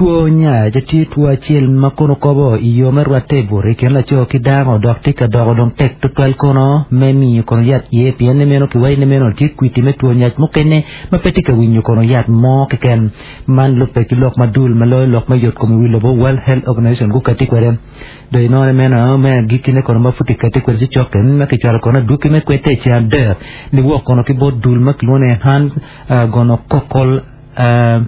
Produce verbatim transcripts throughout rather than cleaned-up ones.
Two nyac tye two acel ma kono kobo i yo me rwatte i buto i kin laco ki dako dok tye ka doko dong tek tutwal kono me miyo kono yat iye pien ni meno kiwaco ni meno tye kwiti me two nyac mukene ma pe tye ka winyo kono yat mo keken man lubbe ki lok ma dul ma loyo lok me yot kom i wi lobo World Health Organization gukati kwede do inone meno me agikine kono ma pud kikati kwede ci cokke ma kicwalo kono adwogi me kwete i ceng adek niwok kono ki bot dul ma kilwongo ni Enhanced uh, Gonococcal uh,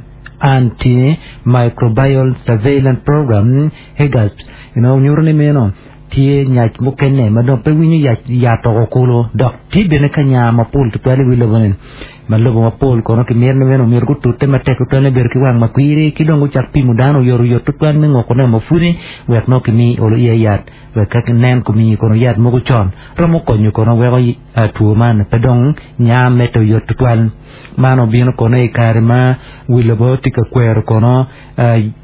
Antimicrobial Surveillance Program HEGASP you know, nyuto ni meno tye nyac mukene ma dong pe winyo yac yat oko kulu dok tye bene ka nya mapol tutwal i wi lobo-ni ma lobo mapol kono kimito ni meno myero gutute matek tutwal me bedo ki wang makwiri ki dong gucak pimo dano oyotoyot tutwal me ngokone mapudi wek nongo kimi olo iye yat wek ka nen komiyi kono yat mogo con romo konyo kono weko two man pe dong nya medde oyot tutwal man obino kono i kare ma wi lobo tye ka kwero kono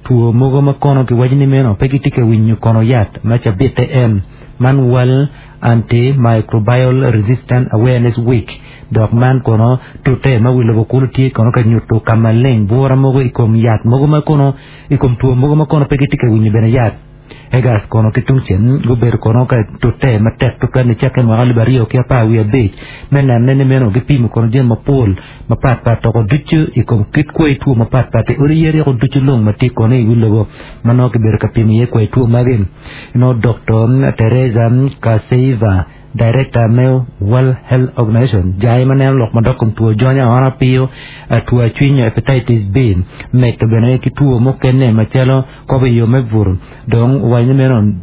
two mogo ma kono kiwaco ni meno pe gitye ka winyo kono yat ma cabite en man World Antimicrobial Resistant Awareness Week dok man kono tute ma wi lobo kulu tye kono ka nyuto ka maleng bura mogo i kom yat mogo ma kono i kom two mogo ma kono pe gitye ka winyo bene yat egas kono ki tung cen gubedo kono ka tute matek tutwal nicakke mwaka alip aryo ki apar wiye abic me nene ni meno gipimo kono jami mapol mapatpat toko ducu i kom kit kwai two mapatpat i odi yeri ducu lung ma tye kono i wi lobo ma nongo kibedo ka pimo iye kwai two magi no Dr. Teresa Kaseiva director me World Health Organization jai ma neno lok madok kom two jonyo aona piyo two acwiny hepatitis B medo bene ki two mukene macalo kobo i yo me buto dong owaco ni meno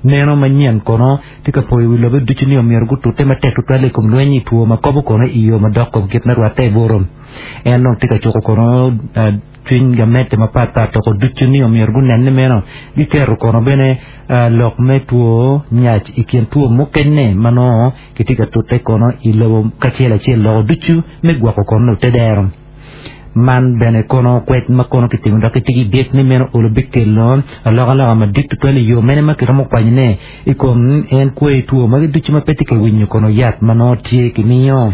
neno manyen kono tye ka poyo wi lobe ducu ni omyero gutute matek tutwal i kom lweny i two ma kobo kono i yo madok kom kit me rwatte i buto en dong tye ka cuko kono cwiny gamente mapatpat toko ducu ni omyero gunen ni meno giketo kono bene lok me two nyac i kin two mukene ma nongo kitye ka tute kono i lobo kacel acel loko ducu me gwoko kono te dero man bene kono kwec ma kono kitimo dok kitye ki byek ni meno olo bikelo alokaloka madit tutwal i yo mene ma kiromo kwanyone i kom en kwai two magi ducu ma pe tye ka winyo kono yat ma nongo tye kimiyo.